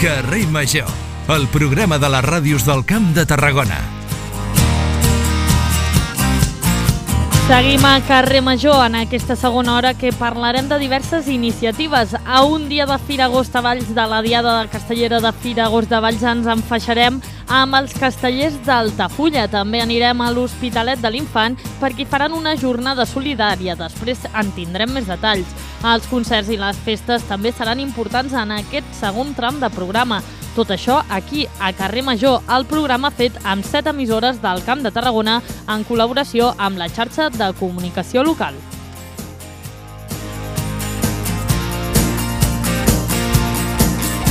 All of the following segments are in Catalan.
Carrer Major, el programa de les ràdios del Camp de Tarragona. Seguim a Carrer Major en aquesta segona hora que parlarem de diverses iniciatives. A un dia de Fira Agost a Valls, de la Diada Castellera de Fira Agost de Valls, ens enfaixarem amb els castellers d'Altafulla. També anirem a l'Hospitalet de l'Infant perquè faran una jornada solidària. Després en tindrem més detalls. Els concerts i les festes també seran importants en aquest segon tram de programa. Tot això aquí, a Carrer Major, el programa fet amb 7 emissores del Camp de Tarragona en col·laboració amb la xarxa de comunicació local.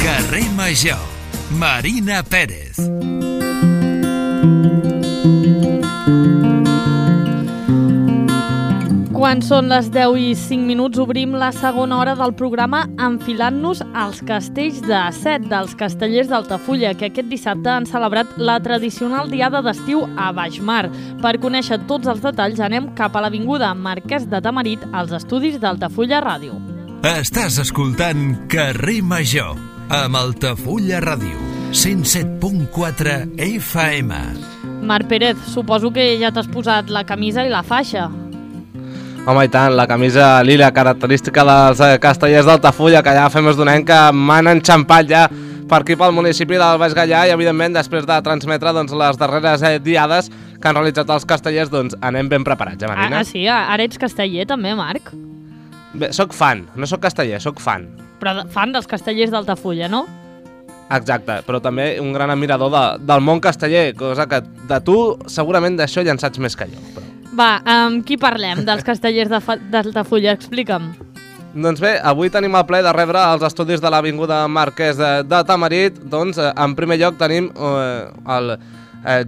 Carrer Major, Marina Pérez. Quan són les 10:05, obrim la segona hora del programa enfilant-nos als castells de Set, dels castellers d'Altafulla, que aquest dissabte han celebrat la tradicional diada d'estiu a Baixmar. Per conèixer tots els detalls anem cap a l'avinguda Marquès de Tamarit, als estudis d'Altafulla Ràdio. Estàs escoltant Carrer Major, amb Altafulla Ràdio, 107.4 FM. Marc Pérez, suposo que ja t'has posat la camisa i la faixa. Home, i tant, la camisa lila, característica dels castellers d'Altafulla, que ja fa més d'un any que m'han enxampat ja per aquí pel municipi del Baix Gaià i, evidentment, després de transmetre les darreres diades que han realitzat els castellers, doncs anem ben preparats, Marina? Sí, ara ets casteller també, Marc? Bé, soc fan, no soc casteller, soc fan. Però fan dels castellers d'Altafulla, no? Exacte, però també un gran admirador del món casteller, cosa que de tu segurament d'això ja en saps més que jo. Però... Va, amb qui parlem dels castellers d'Altafulla? Explica'm. Doncs bé, avui tenim el plaer de rebre als estudis de l'Avinguda Marquès de Tamarit. Doncs, en primer lloc tenim el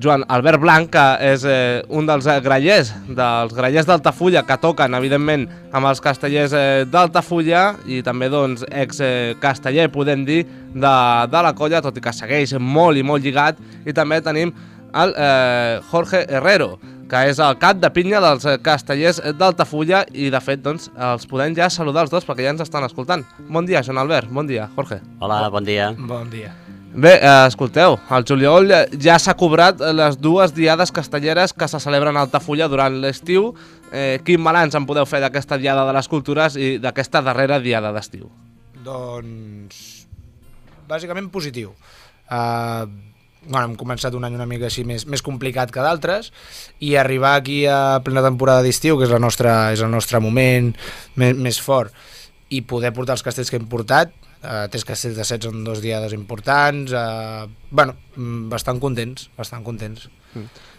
Joan Albert Blanc, que és un dels grallers d'Altafulla, que toquen, evidentment, amb els castellers d'Altafulla i també, doncs, ex-casteller, podem dir, de la colla, tot i que segueix molt i molt lligat. I també tenim el Jorge Herrero, que és el cap de pinya dels castellers d'Altafulla i, de fet, doncs, els podem ja saludar els dos perquè ja ens estan escoltant. Bon dia, Joan Albert. Bon dia, Jorge. Hola, bon dia. Bon dia. Bé, escolteu, al juliol ja s'ha cobrat les dues diades castelleres que se celebren a Altafulla durant l'estiu. Quin balanç en podeu fer d'aquesta diada de les cultures i d'aquesta darrera diada d'estiu? Doncs, bàsicament positiu. Hem començat un any una mica així més complicat que d'altres i arribar aquí a plena temporada d'estiu, que és el nostre moment més fort, i poder portar els castells que hem portat, 3 castells de Set són 2 diades importants, bastant contents.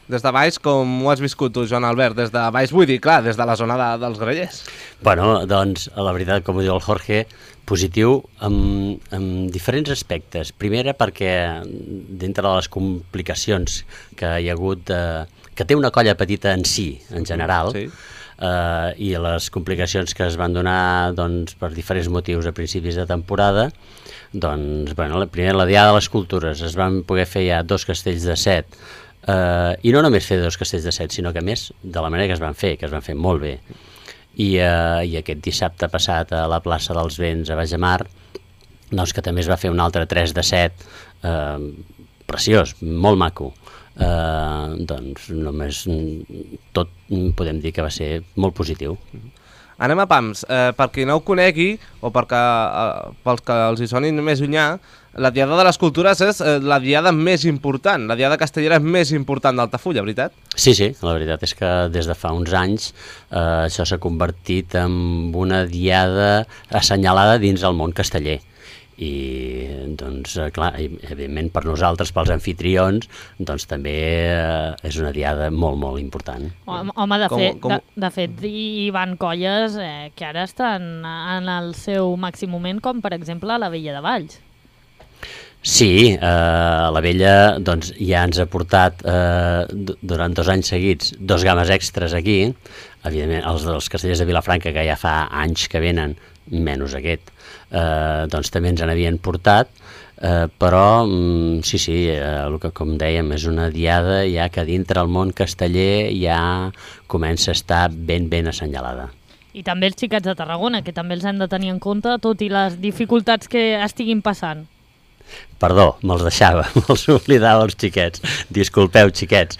Des de baix, com ho has viscut tu, Joan Albert? Des de baix, vull dir, clar, des de la zona dels grallers. Bueno, doncs, la veritat, com ho diu el Jorge, positiu en diferents aspectes. Primera, perquè dintre de les complicacions que hi ha hagut, que té una colla petita en si, en general, sí. I les complicacions que es van donar doncs, per diferents motius a principis de temporada, doncs, bueno, primer la Diada de les Cultures, es van poder fer ja 2 castells de Set, i no només fer 2 castells de Set, sinó que més de la manera que es van fer molt bé. I aquest dissabte passat a la plaça dels Vents a Baixmar, doncs que també es va fer un altre 3 de 7, preciós, molt maco. Doncs només tot podem dir que va ser molt positiu. Anem a pams. Per qui no ho conegui, o pels que els hi sonin més llunyà, la Diada de les Cultures és la diada més important, la diada castellera més important d'Altafulla, veritat? Sí, la veritat és que des de fa uns anys això s'ha convertit en una diada assenyalada dins el món casteller. I, doncs, clar, evidentment per nosaltres, pels anfitrions, doncs també és una diada molt, molt important. Home, de fet, hi van colles que ara estan en el seu màxim moment, com per exemple la Vella de Valls. Sí, la Vella doncs, ja ens ha portat durant 2 anys seguits 2 games extres aquí. Evidentment, els dels castellers de Vilafranca, que ja fa anys que venen, menys aquest, doncs també ens n'havien portat, però sí, el que com dèiem és una diada ja que dintre el món casteller ja comença a estar ben assenyalada. I també els xiquets de Tarragona, que també els hem de tenir en compte, tot i les dificultats que estiguin passant. Perdó, me'ls deixava, me'ls oblidava els xiquets. Disculpeu, xiquets.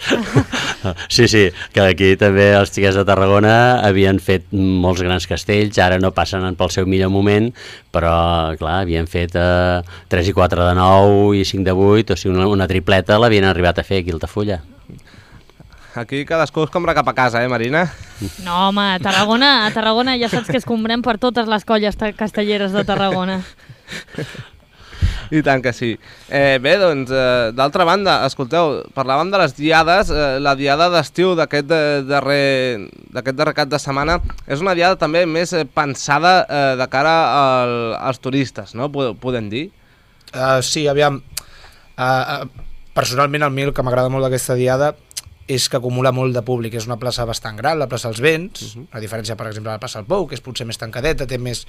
Sí, que aquí també els xiquets de Tarragona havien fet molts grans castells, ara no passen pel seu millor moment, però, clar, havien fet 3 i 4 de 9 i 5 de 8, o sigui, una tripleta l'havien arribat a fer aquí a Altafulla. Aquí cadascú es compra cap a casa, Marina? No, home, a Tarragona ja saps que es comprem per totes les colles castelleres de Tarragona. I tant que sí. Bé, doncs, d'altra banda, escolteu, parlàvem de les diades, la diada d'estiu d'aquest darrer cap de setmana és una diada també més pensada de cara als turistes, no? Podem dir? Sí, aviam, personalment a mi el que m'agrada molt d'aquesta diada és que acumula molt de públic, és una plaça bastant gran, la plaça dels Vents, a diferència, per exemple, de la plaça del Pou, que és potser més tancadeta, té més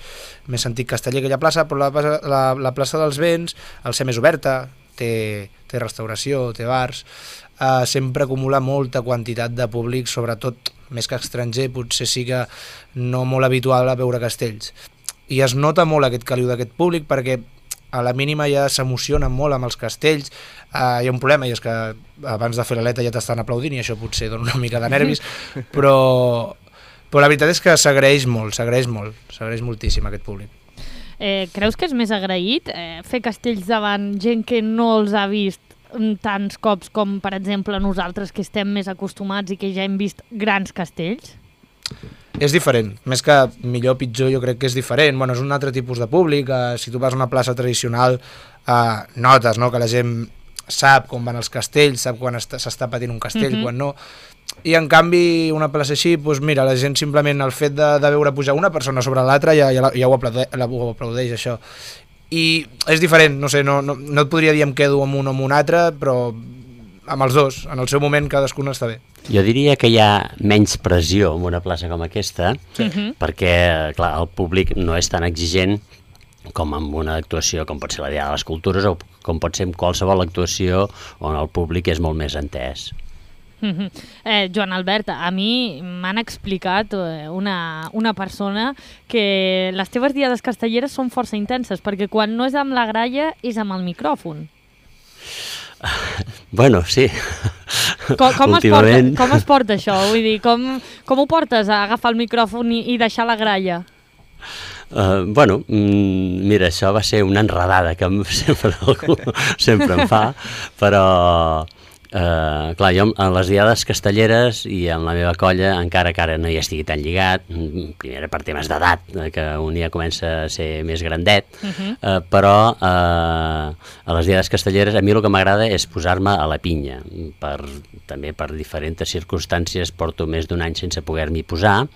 antic casteller aquella plaça, però la plaça dels Vents, al ser més oberta, té restauració, té bars, sempre acumula molta quantitat de públic, sobretot més que estranger, potser sí que no molt habitual a veure castells. I es nota molt aquest caliu d'aquest públic perquè a la mínima ja s'emociona molt amb els castells. Hi ha un problema, i és que abans de fer l'aleta ja t'estan aplaudint i això potser dona una mica de nervis, però la veritat és que s'agraeix moltíssim aquest públic. Creus que és més agraït fer castells davant gent que no els ha vist tants cops com, per exemple, nosaltres que estem més acostumats i que ja hem vist grans castells? És diferent, més que millor o pitjor jo crec que és diferent, bueno, és un altre tipus de públic, si tu vas a una plaça tradicional notes, no?, que la gent sap com van els castells, sap quan s'està patint un castell, quan no, i en canvi una plaça així, doncs mira, la gent simplement el fet de veure pujar una persona sobre l'altra ja ho aplaudeix això, i és diferent, no sé, no et podria dir em quedo amb un o amb un altre, però amb els dos, en el seu moment cadascun està bé. Jo diria que hi ha menys pressió en una plaça com aquesta, perquè, clar, el públic no és tan exigent com en una actuació com pot ser la Diada de les Cultures o com pot ser en qualsevol actuació on el públic és molt més entès. Joan Albert, a mi m'han explicat una persona que les teves diades castelleres són força intenses, perquè quan no és amb la gralla és amb el micròfon. Bueno, sí. Com es porta això? Vull dir, com ho portes a agafar el micròfon i deixar la gralla? Bueno, mira, això va ser una enredada que sempre em fa, però clar, jo en les diades castelleres i en la meva colla, encara que ara no hi estigui tan lligat, primer per temes d'edat, que un ja comença a ser més grandet, però a les diades castelleres a mi el que m'agrada és posar-me a la pinya, també per diferents circumstàncies porto més d'un any sense poder-m'hi posar,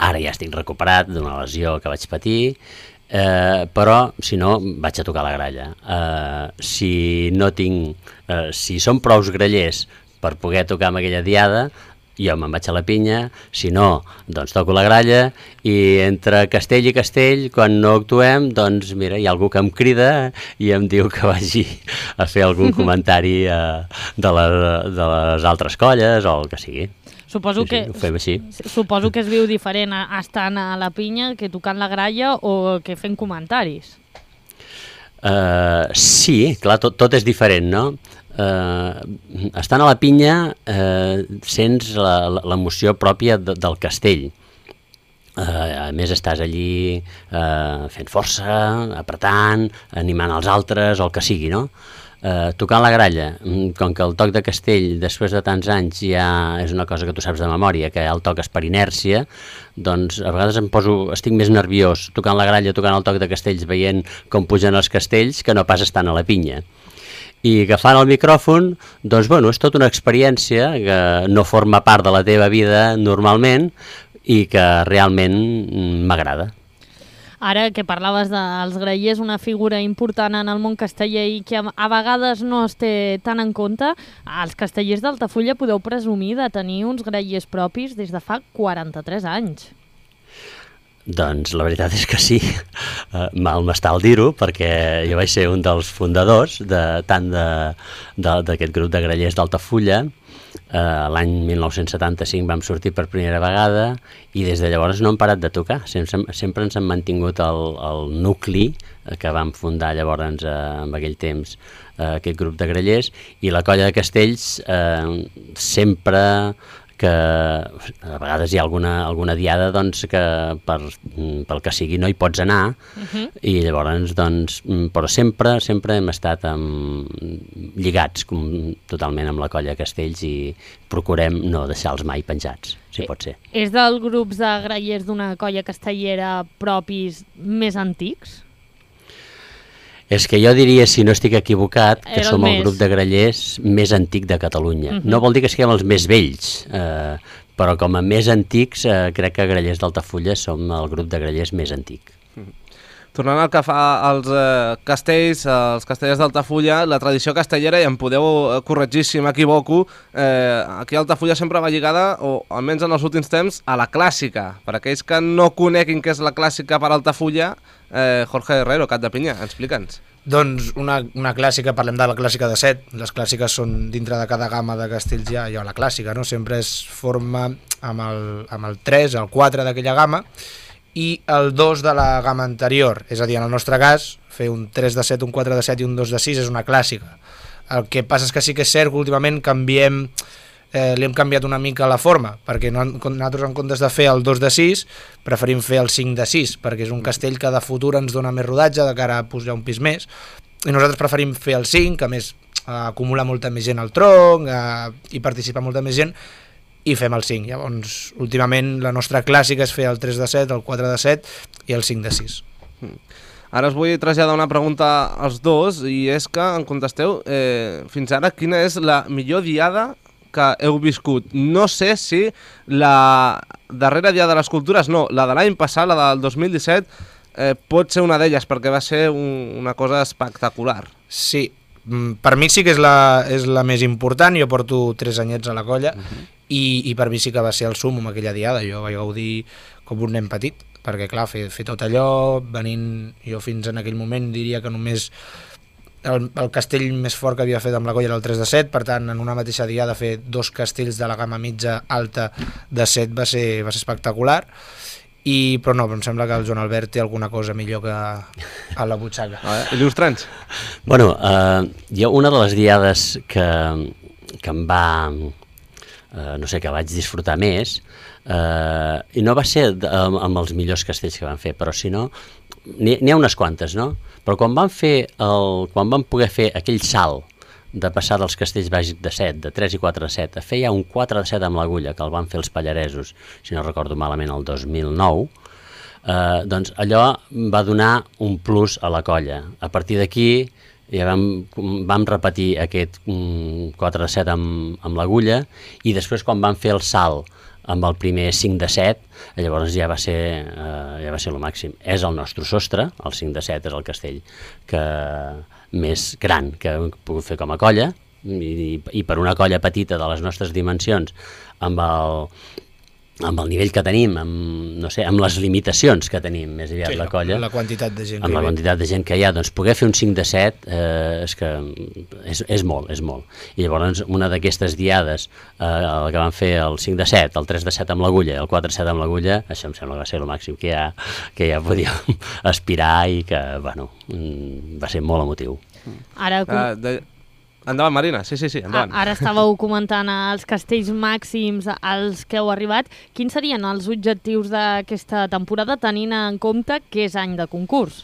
ara ja estic recuperat d'una lesió que vaig patir, però si no vaig a tocar la gralla. Si són prous grallers per poder tocar amb aquella diada, jo me'n vaig a la pinya, si no, doncs toco la gralla, i entre castell i castell, quan no actuem, doncs mira, hi ha algú que em crida i em diu que vagi a fer algun comentari de les altres colles o el que sigui. Suposo que es viu diferent estant a la pinya que tocant la gralla o que fent comentaris. Sí, clar, tot és diferent, no? Estant a la pinya sents l'emoció pròpia del castell. A més estàs allí fent força, apretant, animant els altres, o el que sigui, no? Tocant la gralla, com que el toc de castell després de tants anys ja és una cosa que tu saps de memòria, que el toques per inèrcia, doncs a vegades estic més nerviós tocant la gralla, tocant el toc de castells, veient com pugen els castells, que no pas estant a la pinya. I agafant el micròfon, doncs bueno, és tota una experiència que no forma part de la teva vida normalment i que realment m'agrada. Ara que parlaves dels grallers, una figura important en el món casteller i que a vegades no es té tan en compte, els castellers d'Altafulla podeu presumir de tenir uns grallers propis des de fa 43 anys. Doncs la veritat és que sí, mal m'està el dir-ho, perquè jo vaig ser un dels fundadors tant d'aquest grup de grallers d'Altafulla, L'any 1975 vam sortir per primera vegada i des de llavors no hem parat de tocar. Sempre ens han mantingut el nucli que vam fundar llavors en aquell temps aquest grup de grallers, i la colla de castells sempre que a vegades hi ha alguna diada doncs, que pel que sigui no hi pots anar, i llavors doncs, però sempre hem estat lligats totalment amb la colla de castells i procurem no deixar-los mai penjats, si pot ser. És dels grups de grallers d'una colla castellera propis més antics? És que jo diria, si no estic equivocat, que som el grup de grallers més antic de Catalunya. No vol dir que siguem els més vells, però com a més antics, crec que Grallers d'Altafulla som el grup de grallers més antic. Tornant al que fa als castells, els castellers d'Altafulla, la tradició castellera, i em podeu corregir si m'equivoco, aquí a Altafulla sempre va lligada, o almenys en els últims temps, a la clàssica. Per aquells que no coneguin què és la clàssica per Altafulla, Jorge Herrero, Cap de Pinya, explica'ns. Doncs una clàssica, parlem de la clàssica de 7, les clàssiques són dintre de cada gamma de castells hi ha la clàssica, no? Sempre es forma amb el 3, el 4 d'aquella gamma, i el 2 de la gamma anterior, és a dir, en el nostre cas, fer un 3 de 7, un 4 de 7 i un 2 de 6 és una clàssica. El que passa és que sí que és cert que últimament li hem canviat una mica la forma, perquè nosaltres en comptes de fer el 2 de 6 preferim fer el 5 de 6, perquè és un castell que de futur ens dona més rodatge de cara a pujar un pis més, i nosaltres preferim fer el 5, que a més acumula molta més gent al tronc, i participa molta més gent, i fem el 5. Llavors, últimament la nostra clàssica és fer el 3 de 7, el 4 de 7 i el 5 de 6. Ara us vull traslladar una pregunta als dos, i és que em contesteu fins ara quina és la millor diada que heu viscut. No sé si la darrera Dia de les Cultures, no, la de l'any passat, la del 2017, pot ser una d'elles, perquè va ser una cosa espectacular. Sí, per mi sí que és la més important. Jo porto 3 anyets a la colla, i per mi sí que va ser el súmmum aquella diada. Jo vaig gaudir com un nen petit, perquè clar, fer tot allò, venint jo fins en aquell moment diria que només el castell més fort que havia fet amb la colla era el 3 de 7, per tant en una mateixa diada fer 2 castells de la gamma mitja alta de 7 va ser espectacular, però no, em sembla que el Joan Albert té alguna cosa millor que a la butxaca. Il·lustra'ns. Bueno, jo una de les diades que em va, no sé, que vaig disfrutar més, i no va ser amb els millors castells que van fer, però si no, n'hi ha unes quantes, no? Però quan vam poder fer aquell salt de passar dels castells bàsics de 7, de 3 i 4 de 7, a fer ja un 4 de 7 amb l'agulla, que el van fer els Pallaresos, si no recordo malament, el 2009, doncs allò va donar un plus a la colla. A partir d'aquí ja vam repetir aquest 4 de 7 amb l'agulla, i després quan vam fer el salt amb el primer 5 de 7, llavors ja va ser el màxim. És el nostre sostre, el 5 de 7 és el castell més gran que hem pogut fer com a colla, i per una colla petita de les nostres dimensions, amb el nivell que tenim, amb les limitacions que tenim, més aviat la colla, la quantitat de gent amb la quantitat de gent que hi ha, doncs poder fer un 5 de 7 és que és molt. I llavors una d'aquestes diades, el que van fer el 5 de 7, el 3 de 7 amb l'agulla i el 4 de 7 amb l'agulla, això em sembla que va ser el màxim que ja podíem aspirar, i que, bueno, va ser molt emotiu. Ara... Endavant, Marina, sí, endavant. Ara estàveu comentant els castells màxims als que heu arribat. Quins serien els objectius d'aquesta temporada, tenint en compte que és any de concurs?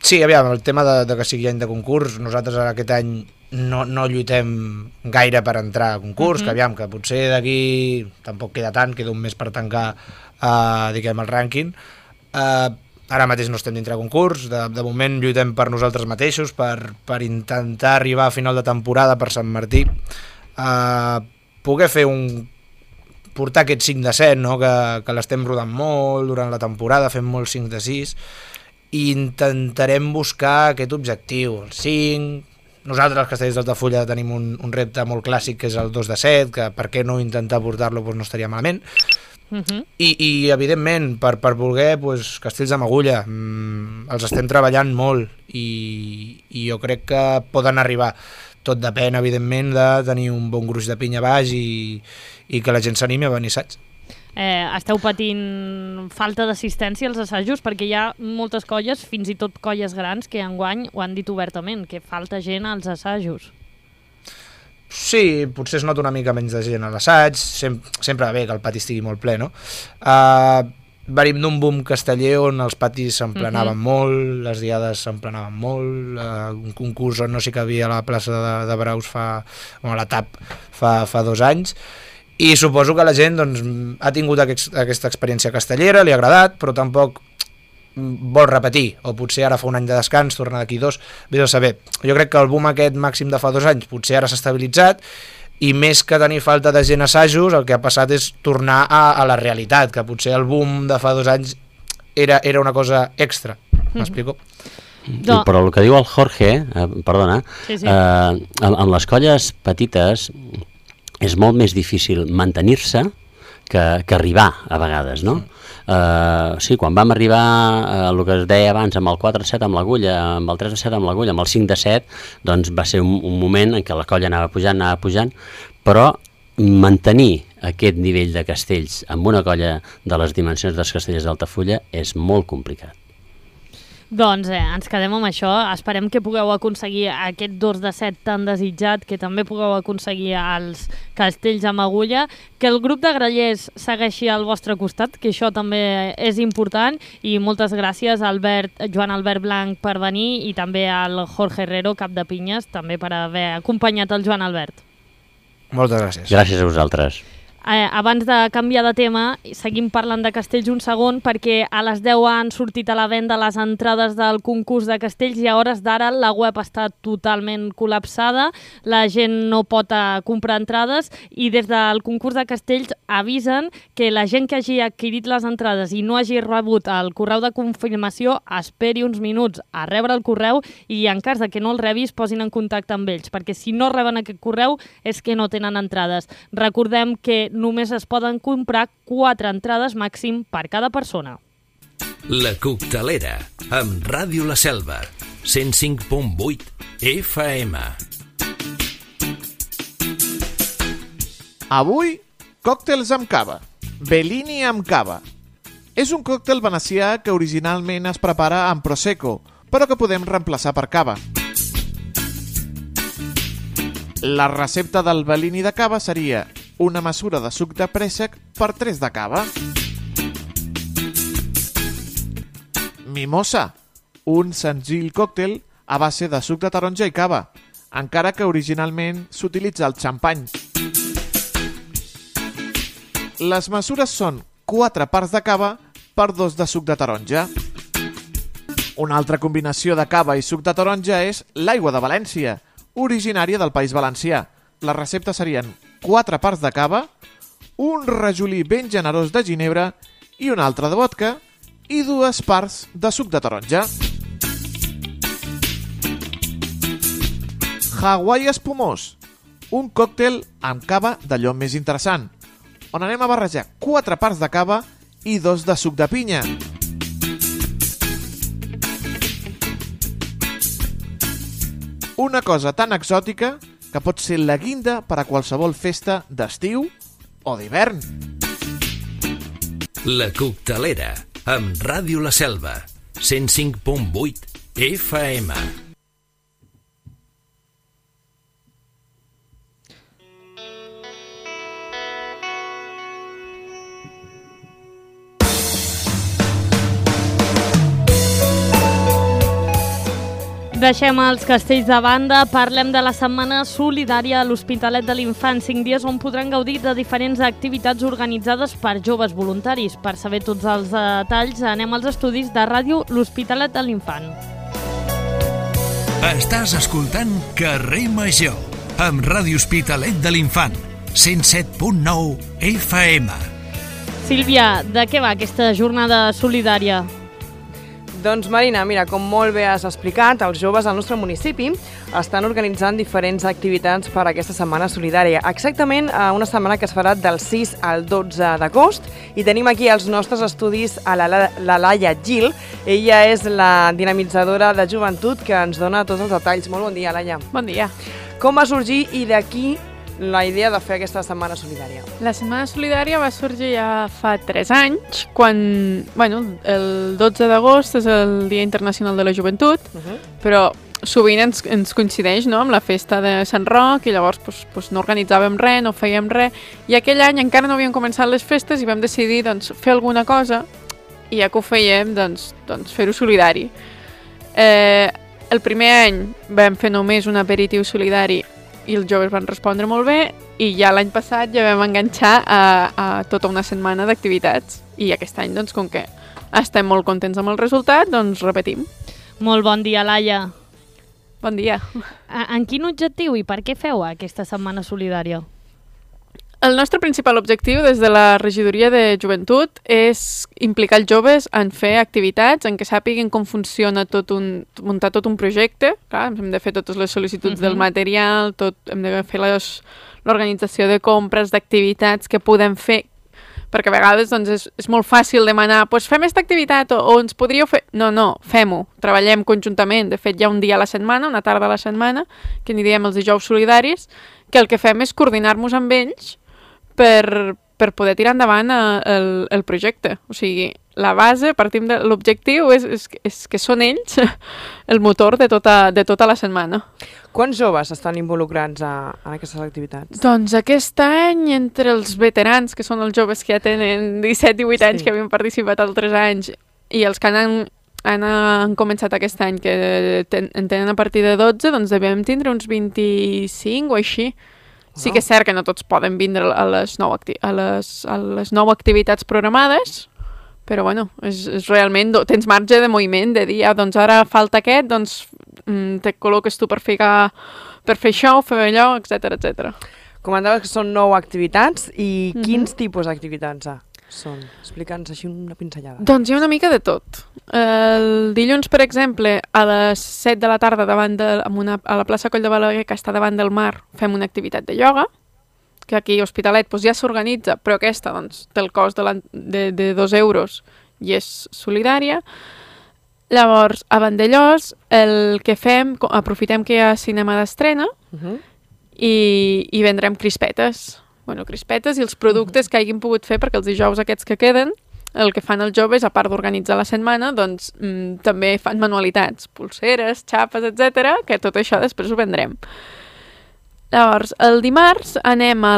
Sí, aviam, el tema de que sigui any de concurs, nosaltres aquest any no lluitem gaire per entrar a concurs, que aviam, que potser d'aquí tampoc queda tant, queda un mes per tancar diguem, el rànquing. Ara mateix no estem dintre de concurs, de moment lluitem per nosaltres mateixos, per intentar arribar a final de temporada per Sant Martí, poder fer portar aquest 5 de 7, no? que l'estem rodant molt durant la temporada, fem molt 5 de 6, i intentarem buscar aquest objectiu, el 5. Nosaltres, els castells d'Altafulla, tenim un repte molt clàssic, que és el 2 de 7, que per què no intentar portar-lo no estaria malament. I evidentment per voler castells amb agulla els estem treballant molt, i jo crec que poden arribar. tot depèn, evidentment, de tenir un bon gruix de pinya baix i que la gent s'animi a venir a assaig. Esteu patint falta d'assistència als assajos? Perquè hi ha moltes colles, fins i tot colles grans, que enguany ho han dit obertament, que falta gent als assajos. Sí, potser es nota una mica menys de gent a l'assaig, sempre va bé que el pati estigui molt ple, no? Venim d'un boom casteller on els patis s'emplenaven molt, les diades s'emplenaven molt, un concurs on no s'hi cabia a la plaça de Braus a la TAP fa 2 anys, i suposo que la gent doncs, ha tingut aquesta experiència castellera, li ha agradat, però tampoc vol repetir, o potser ara fa un any de descans, torna d'aquí 2, vés a saber. Jo crec que el boom aquest màxim de fa 2 anys potser ara s'ha estabilitzat, i més que tenir falta de gent a assajos, el que ha passat és tornar a la realitat, que potser el boom de fa 2 anys era una cosa extra. M'explico? Però el que diu el Jorge, perdona, amb les colles petites és molt més difícil mantenir-se que arribar a vegades, no? Sí, quan vam arribar el que es deia abans amb el 4-7 amb l'agulla, amb el 3-7 amb l'agulla, amb el 5-7, doncs va ser un moment en què la colla anava pujant, però mantenir aquest nivell de castells amb una colla de les dimensions dels castellers d'Altafulla és molt complicat. Doncs ens quedem amb això, esperem que pugueu aconseguir aquest 2-7 tan desitjat, que també pugueu aconseguir els castells amb agulla, que el grup de grallers segueixi al vostre costat, que això també és important, i moltes gràcies a Joan Albert Blanc per venir i també al Jorge Herrero, cap de pinyes, també per haver acompanyat el Joan Albert. Moltes gràcies. Gràcies a vosaltres. Abans de canviar de tema, seguim parlant de castells un segon, perquè a les 10 han sortit a la venda les entrades del concurs de castells i a hores d'ara la web està totalment col·lapsada, la gent no pot comprar entrades, i des del concurs de castells avisen que la gent que hagi adquirit les entrades i no hagi rebut el correu de confirmació esperi uns minuts a rebre el correu, i en cas de que no el rebis posin en contacte amb ells, perquè si no reben aquest correu és que no tenen entrades. Recordem que només es poden comprar 4 entrades màxim per cada persona. La Coctelera, amb Ràdio La Selva, 105.8 FM. Avui, còctels amb cava. Bellini amb cava. És un còctel venecià que originalment es prepara amb prosecco, però que podem reemplaçar per cava. La recepta del Bellini de cava seria una mesura de suc de préssec per 3 de cava. Mimosa, un senzill còctel a base de suc de taronja i cava, encara que originalment s'utilitza el xampany. Les mesures són 4 parts de cava per 2 de suc de taronja. Una altra combinació de cava i suc de taronja és l'aigua de València, originària del País Valencià. Les receptes serien 4 parts de cava, un rajolí ben generós de ginebra i un altre de vodka i 2 parts de suc de taronja. Hawaii espumós, un còctel amb cava d'allò més interessant, on anem a barrejar 4 parts de cava i 2 de suc de pinya. Una cosa tan exòtica que pot ser la guinda per a qualsevol festa d'estiu o d'hivern. La Coctelera, amb Ràdio La Selva, 105.8 FM. Deixem els castells de banda, parlem de la setmana solidària a l'Hospitalet de l'Infant, 5 dies on podran gaudir de diferents activitats organitzades per joves voluntaris. Per saber tots els detalls, anem als estudis de ràdio L'Hospitalet de l'Infant. Estàs escoltant Carrer Major, amb Ràdio Hospitalet de l'Infant, 107.9 FM. Sílvia, de què va aquesta jornada solidària? Doncs Marina, mira, com molt bé has explicat, els joves al nostre municipi estan organitzant diferents activitats per a aquesta setmana solidària. Exactament una setmana que es farà del 6 al 12 d'agost, i tenim aquí als nostres estudis a la Laia Gil. Ella és la dinamitzadora de joventut que ens dona tots els detalls. Molt bon dia, Laia. Bon dia. Com va sorgir i d'aquí la idea de fer aquesta Setmana Solidària? La Setmana Solidària va sorgir ja fa 3 anys, quan, el 12 d'agost és el Dia Internacional de la Joventut, però sovint ens coincideix, no?, amb la festa de Sant Roc, i llavors no organitzàvem res, no fèiem res, i aquell any encara no havien començat les festes i vam decidir fer alguna cosa, i ja que ho fèiem, fer-ho solidari. El primer any vam fer només un aperitiu solidari i els joves van respondre molt bé, i ja l'any passat ja vam enganxar a tota una setmana d'activitats, i aquest any, com que estem molt contents amb el resultat, repetim. Molt bon dia, Laia. Bon dia. En quin objectiu i per què feu aquesta Setmana Solidària? El nostre principal objectiu des de la Regidoria de Joventut és implicar els joves en fer activitats en què sàpiguen com funciona muntar tot un projecte. Clar, hem de fer totes les sol·licituds del material, hem de fer l'organització de compres, d'activitats que podem fer, perquè a vegades és molt fàcil demanar fem aquesta activitat o ens podríeu fer... No, fem-ho, treballem conjuntament. De fet, hi ha un dia a la setmana, una tarda a la setmana, que n'hi diem els dijous solidaris, que el que fem és coordinar-nos amb ells per poder tirar endavant el projecte. O sigui, la base, partim de l'objectiu, és que són ells el motor de tota la setmana. Quants joves estan involucrats en aquestes activitats? Doncs aquest any, entre els veterans, que són els joves que ja tenen 17-18 anys, que havien participat altres anys, i els que han començat aquest any, que en tenen a partir de 12, doncs devem tindre uns 25 o així. Sí que és cert que no tots poden vindre a les 9 activitats programades, però és realment, tens marge de moviment, de dir, doncs ara falta aquest, doncs te col·loques tu per fer això, fer allò, etc. Comentaves que són 9 activitats, i quins tipus d'activitats són? Explica'ns així una pinzellada. Doncs hi ha una mica de tot. El dilluns, per exemple, a les 7 de la tarda a la plaça Coll de Balaguer, que està davant del mar, fem una activitat de ioga, que aquí a Hospitalet ja s'organitza, però aquesta té el cost de 2 euros i és solidària. Llavors, a Vandellós, el que fem, aprofitem que hi ha cinema d'estrena i vendrem crispetes. Crispetes i els productes que hagin pogut fer, perquè els dijous aquests que queden, el que fan els joves, a part d'organitzar la setmana, doncs també fan manualitats, pulseres, xapes, etc., que tot això després ho vendrem. Llavors, el dimarts anem a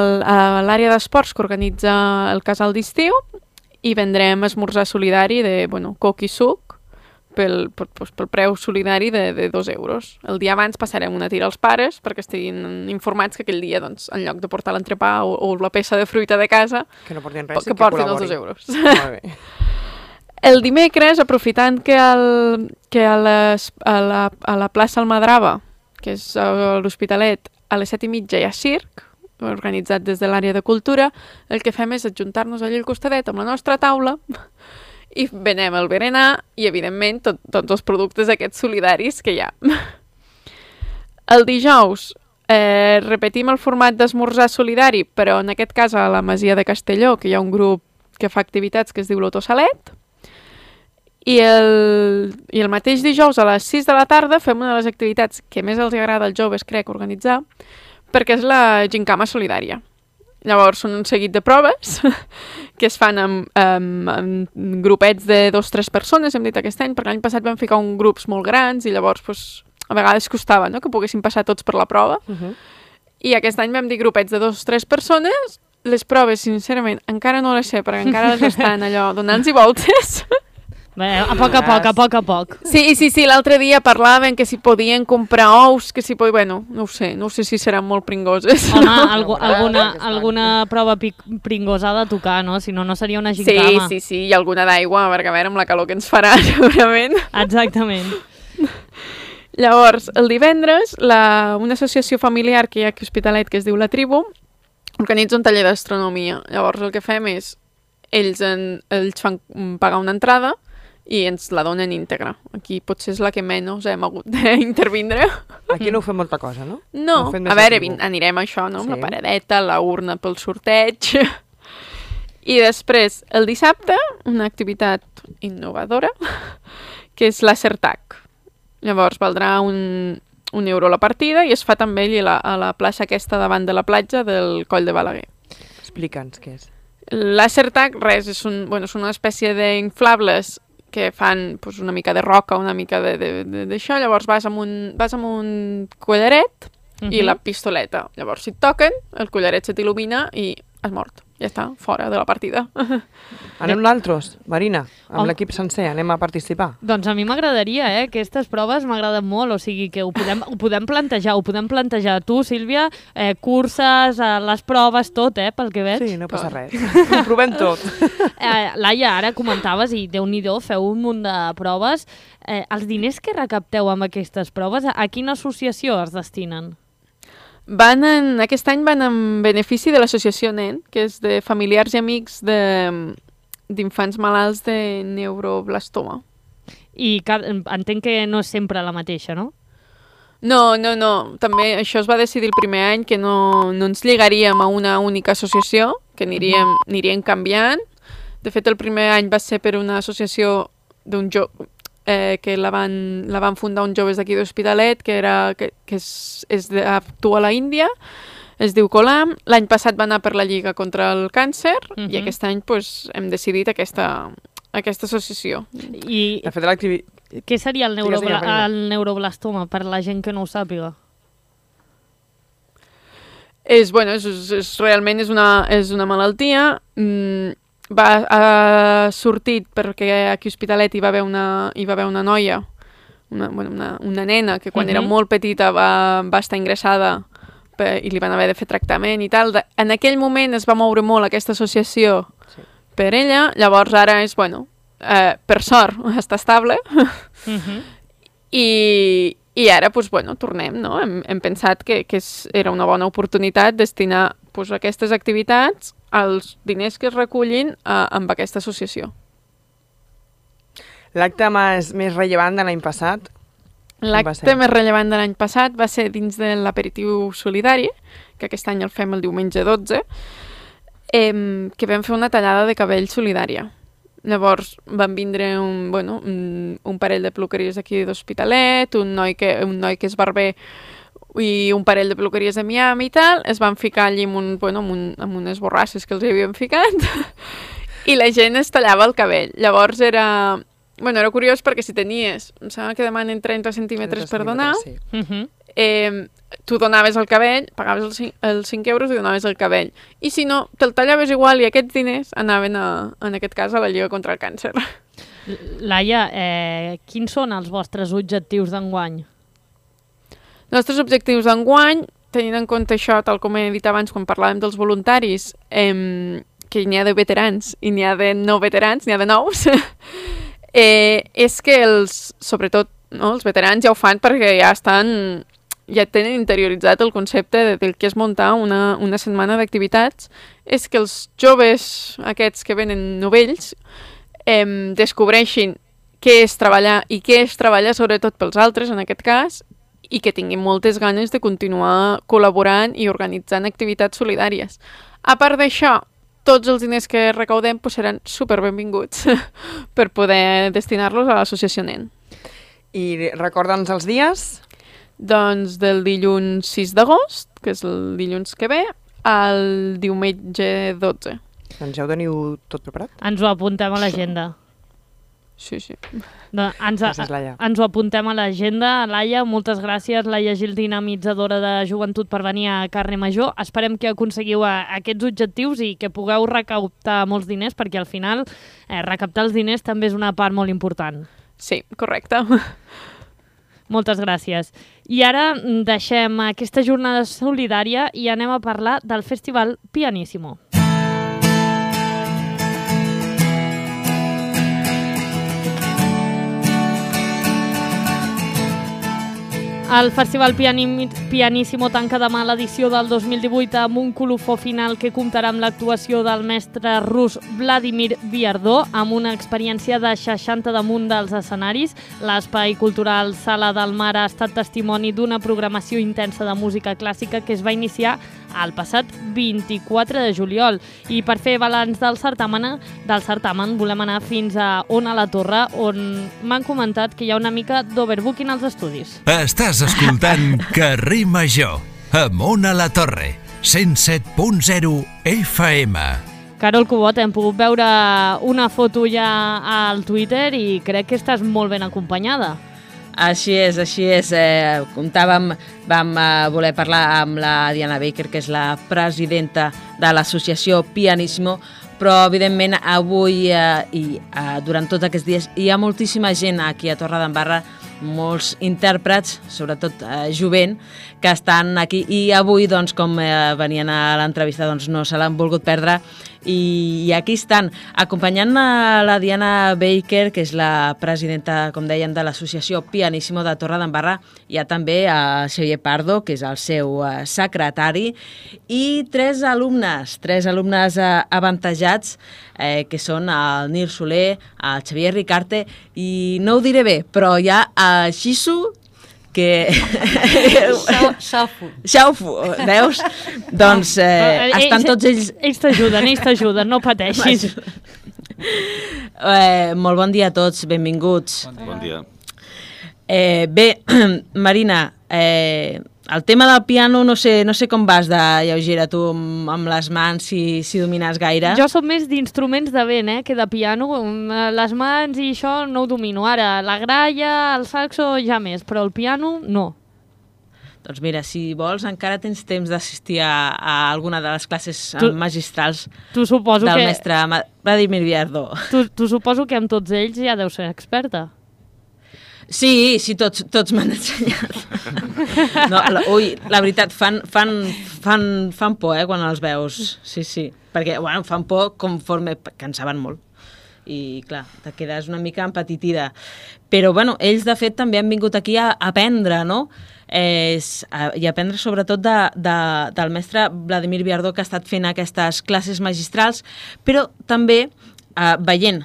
l'àrea d'esports que organitza el casal d'estiu i vendrem esmorzar solidari de coc i suc pel preu solidari de 2 euros. El dia abans passarem una tira als pares perquè estiguin informats que aquell dia, doncs, en lloc de portar l'entrepà o la peça de fruita de casa, que no portin res, que portin els 2 euros. Molt bé. El dimecres, aprofitant que a la plaça Almadrava, que és a l'Hospitalet, a les 7:30 hi ha circ, organitzat des de l'àrea de cultura, el que fem és adjuntar-nos allà al costadet amb la nostra taula i venem el berenar i, evidentment, tots els productes aquests solidaris que hi ha. El dijous repetim el format d'esmorzar solidari, però en aquest cas a la Masia de Castelló, que hi ha un grup que fa activitats que es diu l'Autosalet, i el mateix dijous a les 6 de la tarda fem una de les activitats que més els agrada als joves, crec, organitzar, perquè és la gincama solidària. Llavors són un seguit de proves que es fan amb grupets de 2-3 persones, hem dit aquest any, perquè l'any passat vam ficar grups molt grans i llavors a vegades costava que poguessin passar tots per la prova. I aquest any vam dir grupets de 2-3 persones. Les proves, sincerament, encara no les sé, perquè encara les estan allò donant-hi voltes. Bé, a poc a poc. Sí, l'altre dia parlaven que si podien comprar ous, que si podien... no ho sé si seran molt pringoses. Home, alguna prova pringosa ha de tocar, no? Si no, no seria una gincama. Sí, i alguna d'aigua, perquè a veure amb la calor que ens farà, segurament. Exactament. Llavors, el divendres, una associació familiar que hi ha aquí a Hospitalet, que es diu La Tribu, organitza un taller d'astronomia. Llavors, el que fem és, ells fan pagar una entrada i ens la donen íntegra. Aquí potser és la que menys hem hagut d'intervindre. Aquí no ho fem molta cosa, no? No, a veure, anirem a això, no? Amb la paradeta, la urna pel sorteig. I després, el dissabte, una activitat innovadora, que és l'Acertac. Llavors, valdrà €1 la partida i es fa també a la plaça aquesta davant de la platja del Coll de Balaguer. Explica'ns què és. Laser tag, res, és una espècie d'inflables que fan pues, una mica de roca, una mica d'això, llavors vas amb un collaret i la pistoleta. Llavors, si et toquen, el collaret se t'il·lumina i has mort. Ja està, fora de la partida. Anem nosaltres, Marina, amb l'equip sencer, anem a participar. Doncs a mi m'agradaria, aquestes proves m'agraden molt, o sigui que ho podem plantejar. Tu, Sílvia, curses, les proves, tot, pel que veig. Sí, no passa res. Ho provem tot. Laia, ara comentaves, i Déu-n'hi-do, feu un munt de proves. Els diners que recapteu amb aquestes proves, a quina associació es destinen? Aquest any van en benefici de l'associació NEN, que és de familiars i amics d'infants malalts de neuroblastoma. I entenc que no és sempre la mateixa, no? No. També això es va decidir el primer any, que no ens lligaríem a una única associació, que aniríem canviant. De fet, el primer any va ser per una associació d'un que la van fundar uns joves d'aquí d'Hospitalet, que actua a la Índia, es diu Colam. L'any passat va anar per la Lliga contra el Càncer i aquest any hem decidit aquesta associació. I de fet, què seria el neuroblastoma, per la gent que no ho sàpiga? Realment és una malaltia. Ha sortit perquè aquí a Hospitalet hi va haver una noia, una nena, que quan era molt petita va estar ingressada i li van haver de fer tractament i tal. En aquell moment es va moure molt aquesta associació per ella, llavors ara és, per sort, està estable. I ara, tornem, no? Hem pensat que era una bona oportunitat destinar aquestes activitats als diners que es recullin amb aquesta associació. L'acte més rellevant de l'any passat? L'acte més rellevant de l'any passat va ser dins de l'aperitiu solidari, que aquest any el fem el diumenge 12, que vam fer una tallada de cabell solidària. Llavors van vindre un parell de peluqueries aquí d'Hospitalet, un noi que és barber i un parell de peluqueries de Miami i tal, es van ficar allí amb unes borrasses que els hi havien ficat i la gent es tallava el cabell. Llavors era curiós perquè si tenies, em sembla que demanen 30 centímetres per donar, tu donaves el cabell, pagaves els 5 euros i donaves el cabell. I si no, te'l tallaves igual i aquests diners anaven, en aquest cas, a la Lliga contra el Càncer. Laia, quins són els vostres objectius d'enguany? Els nostres objectius d'enguany, tenint en compte això, tal com he dit abans quan parlàvem dels voluntaris, que n'hi ha de veterans i n'hi ha de no veterans, n'hi ha de nous, és que sobretot els veterans ja ho fan perquè ja tenen interioritzat el concepte del que és muntar una setmana d'activitats, és que els joves aquests que venen novells descobreixin què és treballar i què és treballar sobretot pels altres, en aquest cas, i que tinguin moltes ganes de continuar col·laborant i organitzant activitats solidàries. A part d'això, tots els diners que recaudem seran superbenvinguts per poder destinar-los a l'associació NEN. I recorda'ns els dies? Doncs del dilluns 6 d'agost, que és el dilluns que ve, al diumenge 12. Doncs ja ho teniu tot preparat? Ens ho apuntem a l'agenda. Sí. Gràcies, Laia. Ens ho apuntem a l'agenda. Laia, moltes gràcies. Laia Gil, dinamitzadora de joventut, per venir a Carrer Major. Esperem que aconseguiu aquests objectius i que pugueu recaptar molts diners, perquè al final recaptar els diners també és una part molt important. Sí, correcte. Moltes gràcies. I ara deixem aquesta jornada solidària i anem a parlar del Festival Pianissimo. El Festival Pianissimo tanca demà l'edició del 2018 amb un colofó final que comptarà amb l'actuació del mestre rus Vladimir Viardó, amb una experiència de 60 damunt dels escenaris. L'espai cultural Sala del Mar ha estat testimoni d'una programació intensa de música clàssica que es va iniciar el passat 24 de juliol. I per fer balanç del certamen volem anar fins a Ona la Torre, on m'han comentat que hi ha una mica d'overbooking als estudis. Estàs escoltant Carrer Major, amb Ona la Torre, 107.0 FM. Carol Cubot, hem pogut veure una foto ja al Twitter i crec que estàs molt ben acompanyada. Així és. Vam voler parlar amb la Diana Baker, que és la presidenta de l'associació Pianissimo, però evidentment avui i durant tots aquests dies hi ha moltíssima gent aquí a Torredembarra, molts intèrprets, sobretot jovent, que estan aquí i avui, doncs, com venien a l'entrevista, doncs, no se l'han volgut perdre i aquí estan, acompanyant a la Diana Baker, que és la presidenta, com dèiem, de l'associació Pianissimo de Torredembarra. Hi ha també a Xavier Pardo, que és el seu secretari, i tres alumnes avantatjats, que són el Nil Soler, el Xavier Ricarte, i no ho diré bé, però hi ha el Xisu, que... Xaufu, veus? Doncs estan tots ells... Ells t'ajuden, no pateixis. Molt bon dia a tots, benvinguts. Bon dia. Bé, Marina, el tema del piano no sé com vas de lleugera tu amb les mans, si domines gaire. Jo soc més d'instruments de vent, que de piano. Les mans i això no ho domino. Ara, la gralla, el saxo ja més, però el piano no. Doncs mira, si vols encara tens temps d'assistir a alguna de les classes magistrals del mestre Vladimir Viardó. Tu suposo que amb tots ells ja deus ser experta. Sí, tots m'han ensenyat. No, la veritat, fan por, quan els veus. Sí. Perquè, fan por conforme cansaven molt. I, clar, te quedes una mica empetitida. Però, ells, de fet, també han vingut aquí a aprendre, no? I aprendre sobretot del mestre Vladimir Viardó, que ha estat fent aquestes classes magistrals, però també veient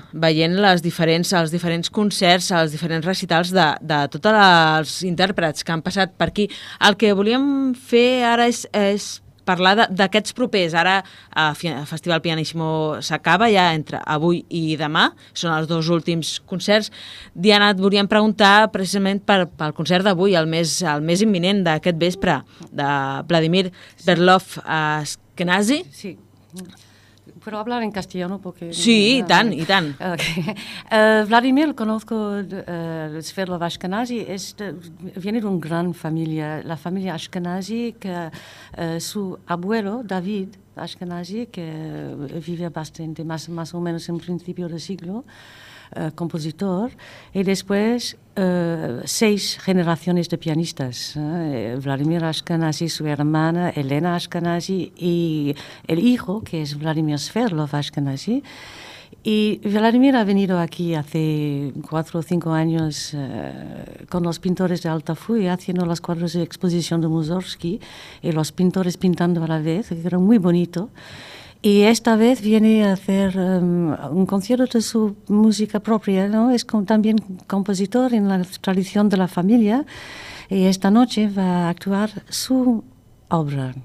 els diferents concerts, els diferents recitals de tots els intèrprets que han passat per aquí. El que volíem fer ara és parlar d'aquests propers. Ara el Festival Pianissimo s'acaba ja entre avui i demà, són els dos últims concerts. Diana, et volíem preguntar precisament pel concert d'avui, el més imminent d'aquest vespre, de Vladimir Sverlov-Ashkenazy. Sí. ¿Puedo hablar en castellano? Porque, sí, y tan. Okay. Vladimir, lo conozco, Sverlov Ashkenazy, viene de una gran familia, la familia Ashkenazy, que su abuelo, David Ashkenazy, que vive bastante, más o menos en principio del siglo, compositor, y después 6 generaciones de pianistas. Vladimir Ashkenazy, su hermana Elena Ashkenazy y el hijo, que es Vladimir Sverlov Ashkenazy. Y Vladimir ha venido aquí hace 4 o 5 años con los pintores de Altafulla, haciendo los cuadros de exposición de Mussorgsky y los pintores pintando a la vez, que era muy bonito. Y esta vez viene a hacer un concierto de su música propia, ¿no? Es también compositor en la tradición de la familia y esta noche va a actuar su obra.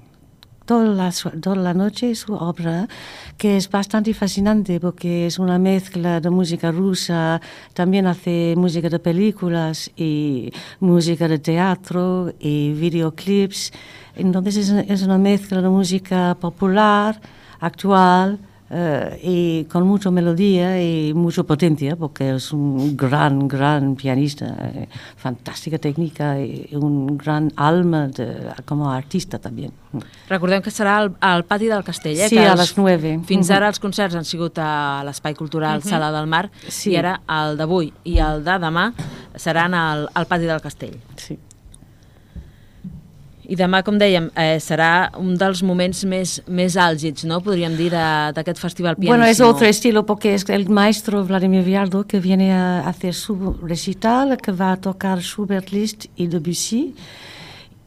Toda la noche su obra, que es bastante fascinante porque es una mezcla de música rusa, también hace música de películas y música de teatro y videoclips. Entonces es una mezcla de música popular, actual y con mucha melodía y mucha potencia, porque es un gran pianista, fantástica técnica y un gran alma como artista también. Recordem que serà al pati del Castell, Sí, a les 9. Fins ara els concerts han sigut a l'Espai Cultural Sala del Mar, sí. I ara el d'avui i el de demà seran al pati del Castell. Sí. I demà, com dèiem, serà un dels moments més àlgids, ¿no? Podríem dir, d'aquest festival pianísimo. Bueno, es otro estilo porque es el maestro Vladimir Viardó que viene a hacer su recital, que va a tocar Schubert, Liszt y Debussy.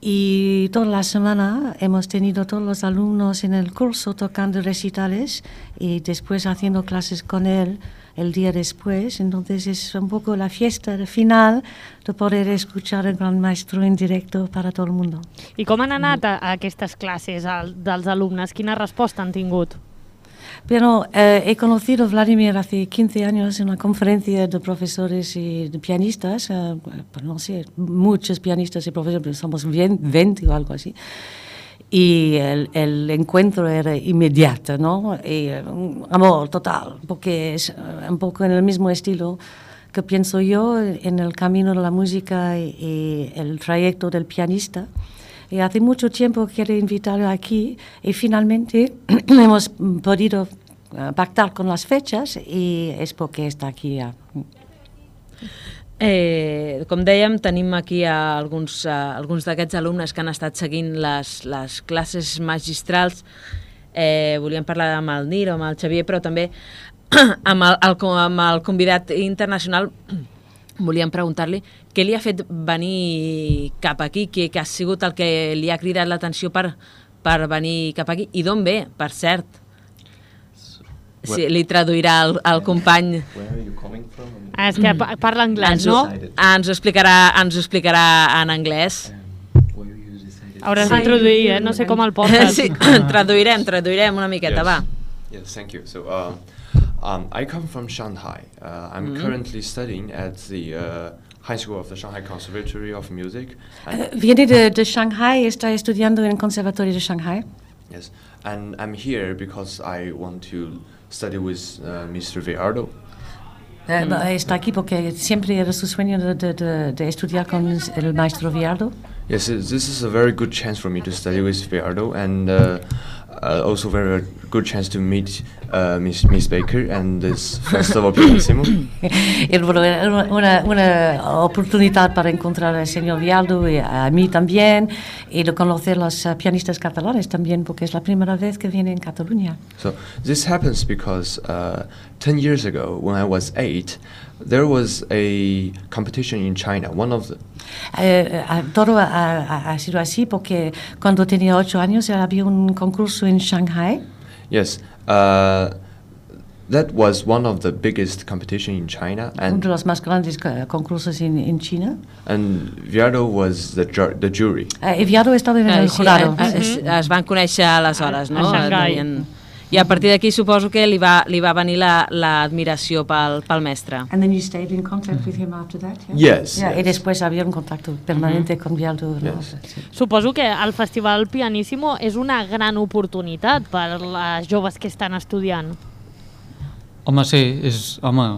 Y toda la semana hemos tenido todos los alumnos en el curso tocando recitales y después haciendo clases con él el día después. Entonces es un poco la fiesta final de poder escuchar el gran maestro en directo para todo el mundo. I com han anat a aquestes classes dels alumnes? Quina resposta han tingut? Pero he conocido a Vladimir hace 15 años en una conferencia de profesores y de pianistas, no sé, muchos pianistas y profesores, somos 20 o algo así. Y el encuentro era inmediato, ¿no? Y un amor total, porque es un poco en el mismo estilo que pienso yo en el camino de la música y el trayecto del pianista. Y hace mucho tiempo quiero invitarlo aquí y finalmente hemos podido pactar con las fechas y es porque está aquí ya. Com dèiem, tenim aquí alguns d'aquests alumnes que han estat seguint les classes magistrals. Volíem parlar amb el Nil o amb el Xavier, però també amb el convidat internacional. Volíem preguntar-li què li ha fet venir cap aquí, què ha sigut el que li ha cridat l'atenció per venir cap aquí i d'on ve, per cert. Sí, li traduirà el company. És que parla anglès, no? Ens ho explicarà en anglès. Hauràs de traduir, no sé com el portes. Sí, traduirem una miqueta, va. Yes, thank you. So, I come from Shanghai. I'm currently studying at the High School of the Shanghai Conservatory of Music. Viene de Shanghai, está estudiando en el Conservatorio de Shanghai. Yes, and I'm here because I want to study with Mr. Viardo. Está aquí porque siempre era su sueño de estudiar con el maestro Viardo. Yes, this is a very good chance for me to study with Viardo, and also very good chance to meet Miss Baker and this festival Pianissimo. Una oportunidad para encontrar al señor Viardo y a mí también, y de conocer los pianistas catalanes también, porque es la primera vez que viene en Cataluña. So this happens because 10 years ago, when I was 8, there was a competition in China, one of the... Todo ha sido así porque cuando tenía 8 años había un concurso en Shanghai. Yes, that was one of the biggest competition in China. Uno de los más grandes concursos en China. And Viardo was the jury. Viardo estaba en el jurado. Es van conèixer aleshores, no? A Shanghai. I a partir d'aquí suposo que li va venir l'admiració pel mestre. And then you stayed in contact with him after that? Yes. Yeah, y después había un contacto permanente con Viardo. Yes. Suposo que el Festival Pianissimo és una gran oportunitat per les joves que estan estudiant. Home, sí,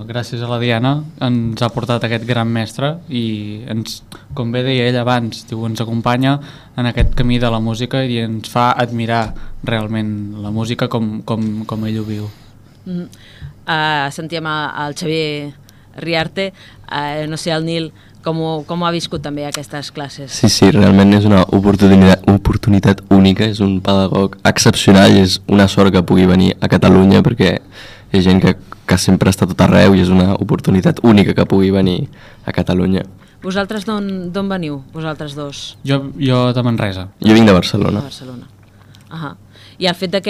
gràcies a la Diana ens ha portat aquest gran mestre i com bé deia ell abans, ens acompanya en aquest camí de la música i ens fa admirar realment la música com ell ho viu. Sentíem el Xavier Riarte, no sé, el Nil, com ha viscut també aquestes classes? Sí, realment és una oportunitat única, és un pedagog excepcional i és una sort que pugui venir a Catalunya perquè hi ha gent que sempre està tot arreu i és una oportunitat única que pugui venir a Catalunya. Vosaltres d'on veniu, vosaltres dos? Jo de Manresa. Jo vinc de Barcelona. De Barcelona. I el fet de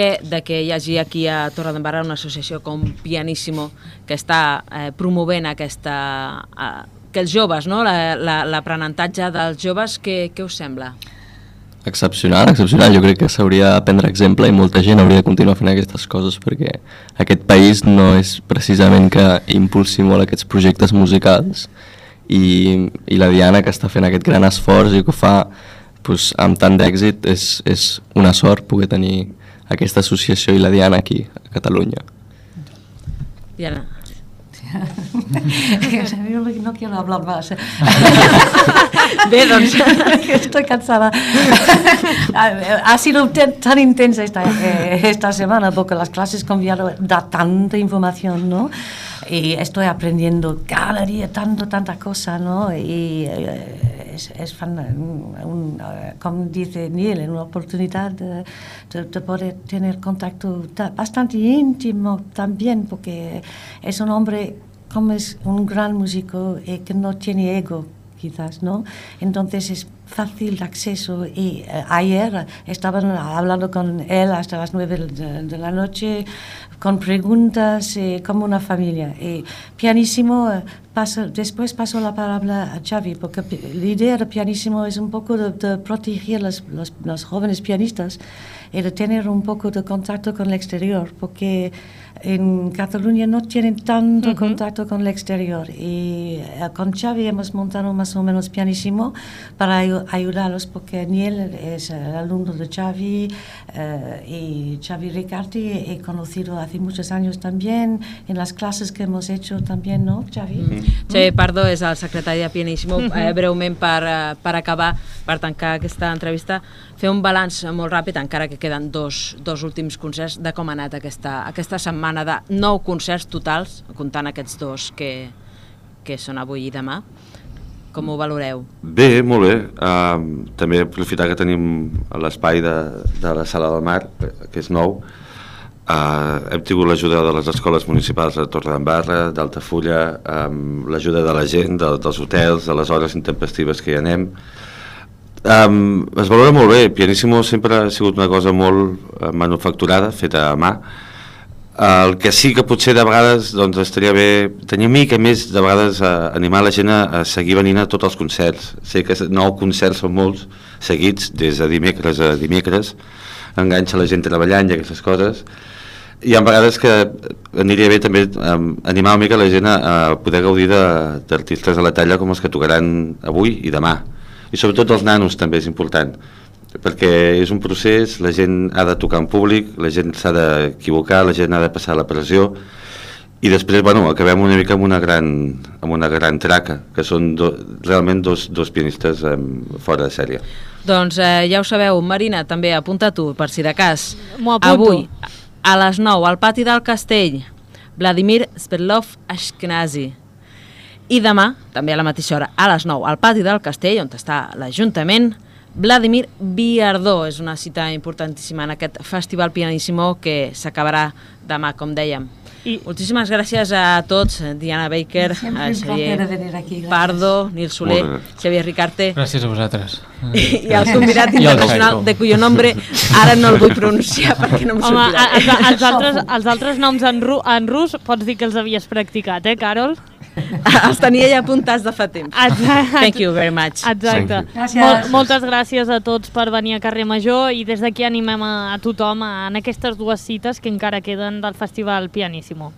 que hi hagi aquí a Torredembarra una associació com Pianissimo que està promovent que els joves, no? L'aprenentatge dels joves, què us sembla? Excepcional. Jo crec que s'hauria de prendre exemple i molta gent hauria de continuar fent aquestes coses perquè aquest país no és precisament que impulsi molt aquests projectes musicals i la Diana que està fent aquest gran esforç i que ho fa amb tant d'èxit és una sort poder tenir aquesta associació i la Diana aquí a Catalunya. Diana. No quiero hablar más. Bé, doncs... Estoy cansada. Ha sido tan intensa esta semana porque las clases con Viardo da tanta información, ¿no? Y estoy aprendiendo cada día tanta cosa, ¿no? Y es como dice Neil, una oportunidad de poder tener contacto bastante íntimo también, porque es un hombre como es un gran músico y que no tiene ego, quizás, ¿no? Entonces es fácil de acceso y ayer estaban hablando con él hasta las 9 de la noche con preguntas como una familia. Y Pianissimo, después paso la palabra a Xavi, porque la idea de Pianissimo es un poco de proteger los jóvenes pianistas y de tener un poco de contacto con el exterior, porque en Cataluña no tienen tanto contacto con el exterior y con Xavi hemos montado más o menos Pianissimo para ayudarlos, porque Niel es el alumno de Xavi y Xavi Riccardi he conocido hace muchos años también en las clases que hemos hecho también, ¿no, Xavi? Xavi Pardo és el secretari de Pianissimo. Breument per acabar, per tancar aquesta entrevista, fer un balanç molt ràpid, encara que queden dos últims concerts, de com ha anat aquesta setmana de 9 concerts totals, comptant aquests 2 que són avui i demà. Com ho valoreu? Bé, molt bé. També aprofitar que tenim l'espai de la Sala del Mar, que és nou. Hem tingut l'ajuda de les escoles municipals de Torredembarra, d'Altafulla, l'ajuda de la gent, dels hotels, de les hores intempestives que hi anem. Es valora molt bé. Pianissimo sempre ha sigut una cosa molt manufacturada, feta a mà. El que sí que potser de vegades doncs, estaria bé tenir mica més, de vegades animar la gent a seguir venint a tots els concerts. Sé que 9 concerts són molts seguits, des de dimecres a dimecres, enganxa la gent treballant i aquestes coses. Hi ha vegades que aniria bé també animar una mica la gent a poder gaudir d'artistes de la talla com els que tocaran avui i demà. I sobretot els nanos també és important, perquè és un procés, la gent ha de tocar en públic, la gent s'ha d'equivocar, la gent ha de passar la pressió i després, bueno, acabem una mica amb una gran traca, que són realment dos pianistes fora de sèrie. Doncs ja ho sabeu, Marina, també apunta tu, per si de cas. M'ho apunto. Avui, a les 9, al pati del Castell, Vladimir Svetlov Ashkenazi. I demà, també a la mateixa hora, a les 9, al pati del Castell, on està l'Ajuntament, Vladimir Viardó. És una cita importantíssima en aquest Festival Pianissimo que s'acabarà demà, com dèiem. Moltíssimes gràcies a tots, Diana Baker, a Xavier Pardo, Nil Soler, Xavier Ricarte. Gràcies a vosaltres. I el convidat internacional de cuyo nombre ara no el vull pronunciar perquè no em sortirà. Home, els altres noms en rus pots dir que els havies practicat, Carol? Els tenia ja apuntats de fa temps. Thank you very much. Exacte. Moltes gràcies a tots per venir a Carrer Major i des d'aquí animem a tothom en aquestes 2 cites que encara queden del Festival Pianissimo.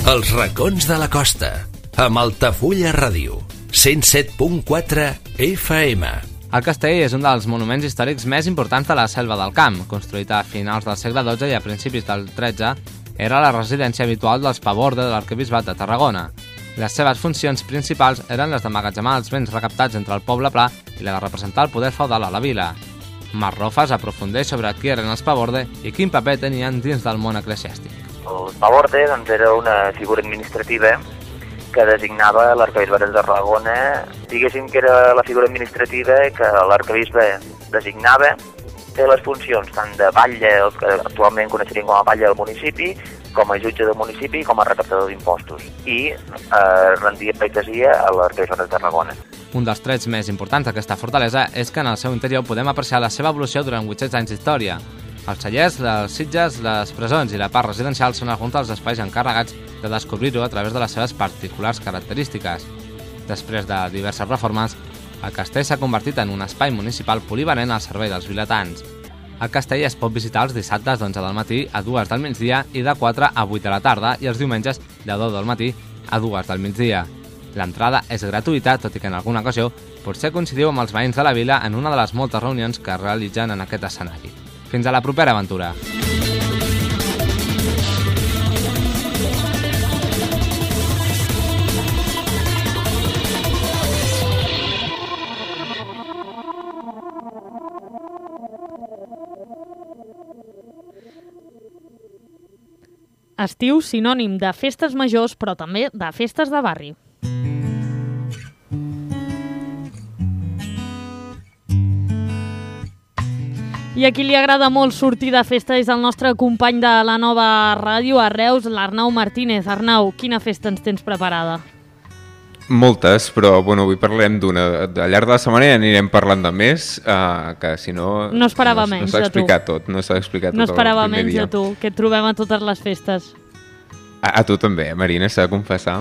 Els racons de la costa, amb Altafulla Ràdio, 107.4 FM. El castell és un dels monuments històrics més importants de la Selva del Camp. Construït a finals del segle XII i a principis del XIII, era la residència habitual dels Paborde de l'arquebisbat de Tarragona. Les seves funcions principals eren les d'emmagatzemar els béns recaptats entre el poble pla i la de representar el poder feudal a la vila. Marrofes aprofundeix sobre qui eren els Paborde i quin paper tenien dins del món eclesiàstic. El Paborde era una figura administrativa que designava l'arquebisbe de Tarragona. Diguéssim que era la figura administrativa que l'arquebisbe designava. Té les funcions tant de batlle, el que actualment coneixeríem com a batlle del municipi, com a jutge del municipi i com a recaptador d'impostos. I rendia pleitesia a l'arquebisbe de Tarragona. Un dels trets més importants d'aquesta fortalesa és que en el seu interior podem apreciar la seva evolució durant 800 anys d'història. Els cellers, les sitges, les presons i la part residencial són alguns dels espais encarregats de descobrir-ho a través de les seves particulars característiques. Després de diverses reformes, el castell s'ha convertit en un espai municipal polivalent al servei dels vilatans. El castell es pot visitar els dissabtes d'11 del matí a 2 del migdia i de 4 a 8 de la tarda i els diumenges de 10 del matí a 2 del migdia. L'entrada és gratuïta, tot i que en alguna ocasió potser coincidiu amb els veïns de la vila en una de les moltes reunions que es realitzen en aquest escenari. Fins a la propera aventura! Estiu sinònim de festes majors, però també de festes de barri. I a qui li agrada molt sortir de festa és el nostre company de la nova ràdio a Reus, l'Arnau Martínez. Arnau, quina festa ens tens preparada? Moltes, però bueno, avui parlarem d'una. Al llarg de la setmana ja anirem parlant de més, que si no... No esperava menys de tu. No s'ha explicat tot, no s'ha explicat tot No esperava el primer menys dia. de tu, que et trobem a totes les festes. A tu també, Marina, s'ha de confessar.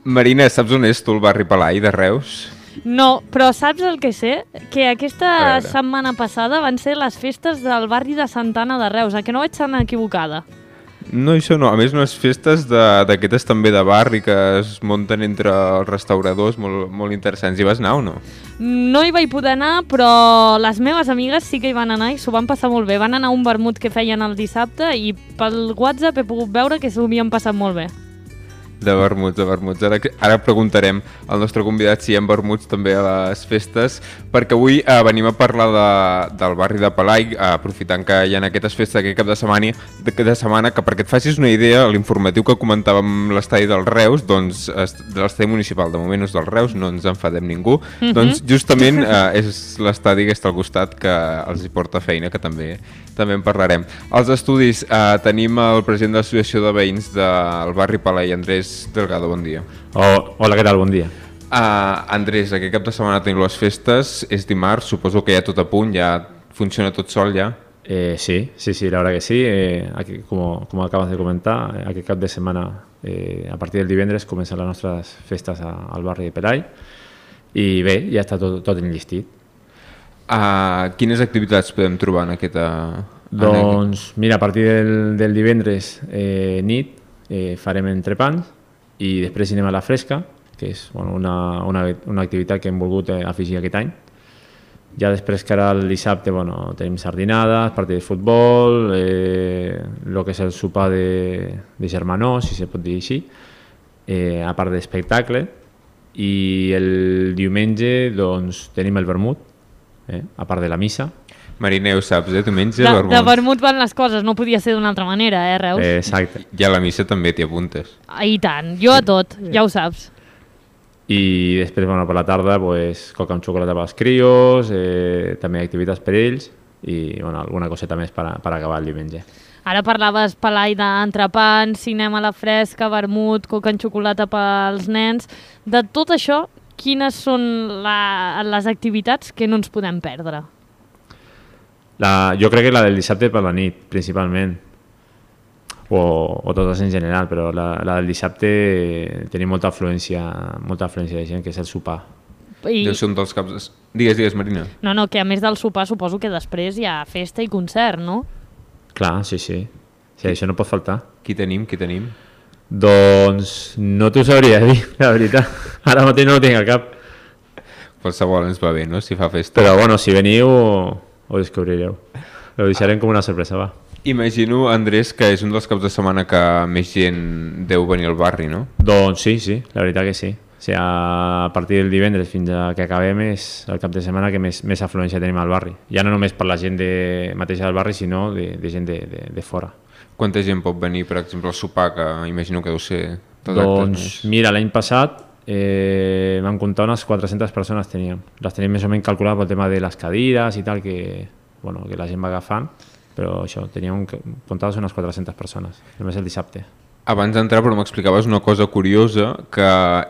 Marina, saps on és tu el barri Pelai de Reus? No, però saps el que sé? Que aquesta A veure. setmana passada van ser les festes del barri de Santana de Reus, que no vaig ser equivocada. No, això no. A més, unes festes d'aquestes també de barri que es munten entre els restauradors molt interessants. Hi vas anar o no? No hi vaig poder anar, però les meves amigues sí que hi van anar i s'ho van passar molt bé. Van anar a un vermut que feien el dissabte i pel WhatsApp he pogut veure que s'ho havien passat molt bé. De vermuts. Ara preguntarem al nostre convidat si hi ha vermuts també a les festes, perquè avui venim a parlar del barri de Pelai, aprofitant que hi ha aquestes festes aquest cap de setmana, que perquè et facis una idea, l'informatiu que comentàvem l'estadi del Reus, doncs de l'estadi municipal, de moment és del Reus, no ens enfadem ningú, doncs justament és l'estadi que està al costat que els hi porta feina, que també en parlarem. Als estudis tenim el president de l'Associació de Veïns del barri Pelai, Andrés Delgado, bon dia. Hola, què tal? Bon dia. Andrés, aquest cap de setmana tenim les festes, és dimarts, suposo que ja tot a punt, ja funciona tot sol ja? Sí, la verdad que sí. Aquí, como acabas de comentar, aquest cap de setmana, a partir del divendres, comencen les nostres festes al barri de Pelai i bé, ja està tot enllistit. Quines activitats podem trobar en aquesta... Doncs mira, a partir del divendres nit farem entrepans i després anem a la fresca, que és una activitat que hem volgut afegir aquest any. Ja després que ara el dissabte tenim sardinades, partit de futbol, el que és el sopar de germanor, si se pot dir així, a part d'espectacle, i el diumenge doncs, tenim el vermut, a part de la missa. Marina, ho saps, diumenge vermut. De vermut van les coses, no podia ser d'una altra manera, Reus? Exacte. I a la missa també t'hi apuntes. I tant, jo a tot, ja ho saps. I després, per la tarda, coca amb xocolata pels crios, també activitats per ells i alguna coseta més per acabar el diumenge. Ara parlaves, Pelai, d'entrepans, cinema a la fresca, vermut, coca amb xocolata pels nens. De tot això, quines són les activitats que no ens podem perdre? Jo crec que la del dissabte per la nit, principalment. O totes en general, però la del dissabte tenim molta afluència de gent, que és el sopar. Deu ser un dels caps... Digues, Marina. No, que a més del sopar suposo que després hi ha festa i concert, no? Clar, sí. Sí, això no pot faltar. Qui tenim? Doncs no t'ho sabria dir, la veritat. Ara mateix no ho tinc al cap. Qualsevol ens va bé, no?, si fa festa. Però bueno, si veniu ho descobrireu. Ho deixarem com una sorpresa, va. Imagino, Andrés, que és un dels caps de setmana que més gent deu venir al barri, no? Doncs sí, la veritat que sí. O sigui, a partir del divendres fins a que acabem és el cap de setmana que més afluència tenim al barri. Ja no només per la gent mateixa del barri, sinó de gent de fora. Quanta gent pot venir, per exemple, al sopar, que imagino que deu ser... Doncs mira, l'any passat vam comptar unes 400 persones teníem. Les tenim més o menys calculades pel tema de les cadires i tal, que la gent va agafant, però això, teníem comptades unes 400 persones, només el dissabte. Abans d'entrar, però m'explicaves una cosa curiosa, que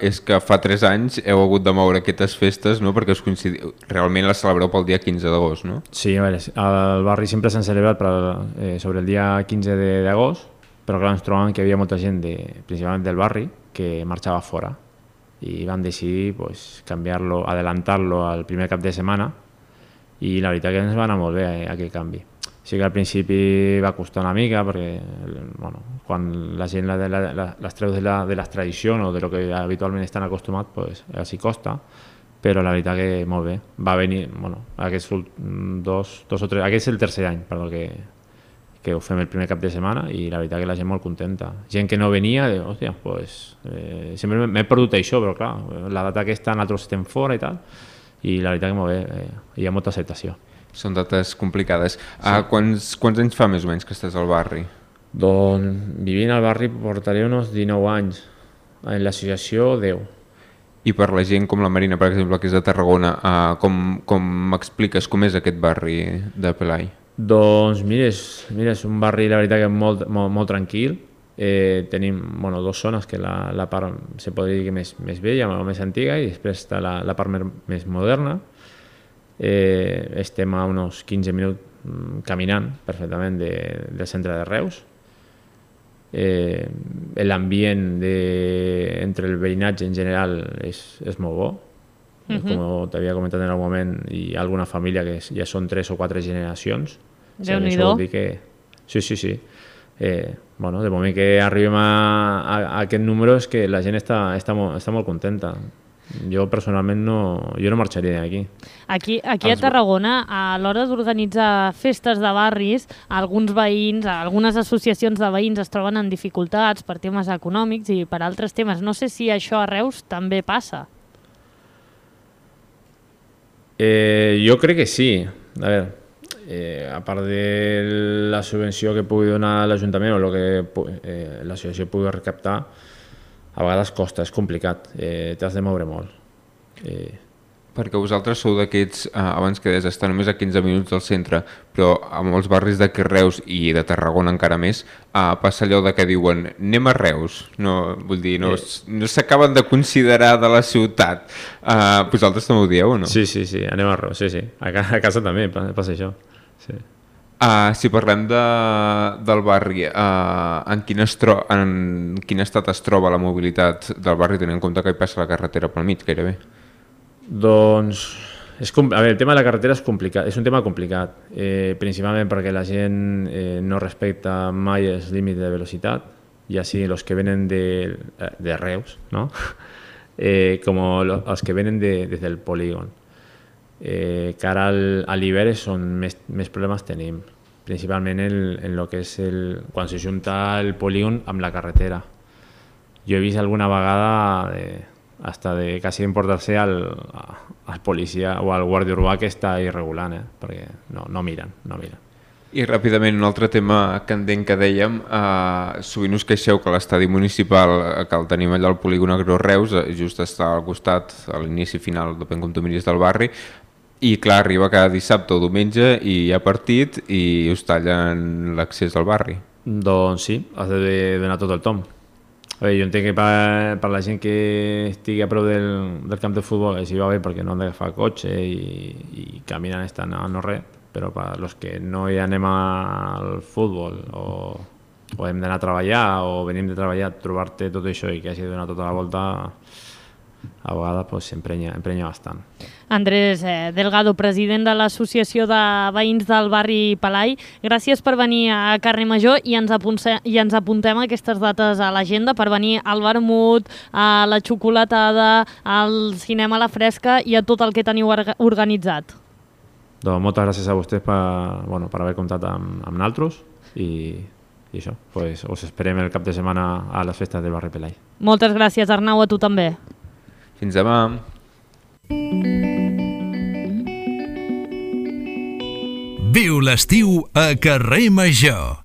és que fa 3 anys heu hagut de moure aquestes festes, no?, perquè realment les celebreu pel dia 15 d'agost, no? Sí, a veure, al barri sempre s'han celebrat sobre el dia 15 d'agost, però clar, ens trobàvem que hi havia molta gent, principalment del barri, que marxava fora, i vam decidir canviar-lo, adelantar-lo al primer cap de setmana, i la veritat que ens va anar molt bé aquell canvi. Sí que al principi va costar una mica perquè quan la gent les treu de les tradicions o de lo que habitualment estan acostumats, així costa, però la veritat que molt bé. Va venir, aquests dos o tres, aquest és el tercer any que ho fem el primer cap de setmana i la veritat que la gent molt contenta. Gent que no venia, hòstia, sempre m'he perdut això, però clar, la data aquesta nosaltres estem fora i tal, i la veritat que molt bé, hi ha molta acceptació. Són dates complicades. Sí. Quants anys fa més o menys que estàs al barri? Doncs vivint al barri portaré uns 19 anys. En l'associació 10. I per la gent com la Marina, per exemple, que és de Tarragona, com m'expliques com és aquest barri de Pelai? Doncs mira, és un barri, la veritat, que molt tranquil. Tenim dos zones, que la part se podria dir que més vella o més antiga, i després està la part més moderna. Estem a uns 15 minuts caminant perfectament del centre de Reus. L'ambient entre el veïnatge en general és molt bo. Com t'havia comentat en algun moment, hi ha alguna família que ja són 3 o 4 generacions. Déu-n'hi-do. Sí. De moment que arribem a aquest número és que la gent està molt contenta. Jo personalment no marxaria d'aquí. Aquí a Tarragona, a l'hora d'organitzar festes de barris, alguns veïns, algunes associacions de veïns es troben en dificultats per temes econòmics i per altres temes. No sé si això a Reus també passa. Jo crec que sí. A veure, a part de la subvenció que pugui donar l'Ajuntament o el que l'associació pugui recaptar, a vegades costa, és complicat, t'has de moure molt. Perquè vosaltres sou d'aquests, abans que deies, estar només a 15 minuts del centre, però a molts barris de Reus i de Tarragona encara més, passa allò de que diuen anem a Reus, vull dir, no s'acaben de considerar de la ciutat. Vosaltres també ho dieu o no? Sí, anem a Reus, sí. A casa també passa això, sí. Si parlem del barri, en quin estat es troba la mobilitat del barri, tenint en compte que hi passa la carretera pel mig, gairebé? Doncs, el tema de la carretera és un tema complicat, principalment perquè la gent no respecta mai els límits de velocitat, ja sigui els que venen de Reus, no? Com els que venen des del polígon. Que ara a l'hivern és on més problemes tenim, principalment en el que és quan se junta el polígon amb la carretera. Jo he vist alguna vegada hasta de quasi emportar-se al policia o al guàrdia urbà que està irregulant, perquè no miren. I ràpidament, un altre tema candent que dèiem, sovint us queixeu que l'estadi municipal, que el tenim allà al polígon Agro Reus, just està al costat, a l'inici final, depèn com tu miris, del barri, i clar, arriba cada dissabte o diumenge i hi ha partit i us tallen l'accés al barri. Doncs sí, has de donar tot el tom. Jo entenc que per la gent que estigui a prop del camp de futbol així va bé perquè no han d'agafar cotxe i caminen estan a no res, però per als que no hi anem al futbol o hem d'anar a treballar o venim de treballar, trobar-te tot això i que hagi de donar tota la volta a vegades s'emprenya bastant. Andrés Delgado, president de l'Associació de Veïns del barri Palai, gràcies per venir a Carrer Major i ens apuntem aquestes dates a l'agenda per venir al vermut, a la xocolatada, al cinema a la fresca i a tot el que teniu organitzat. Doncs moltes gràcies a vostès per haver comptat amb nosaltres i això, us esperem el cap de setmana a les festes del barri Palai. Moltes gràcies, Arnau, a tu també. Fins demà. Viu l'estiu a Carrer Major.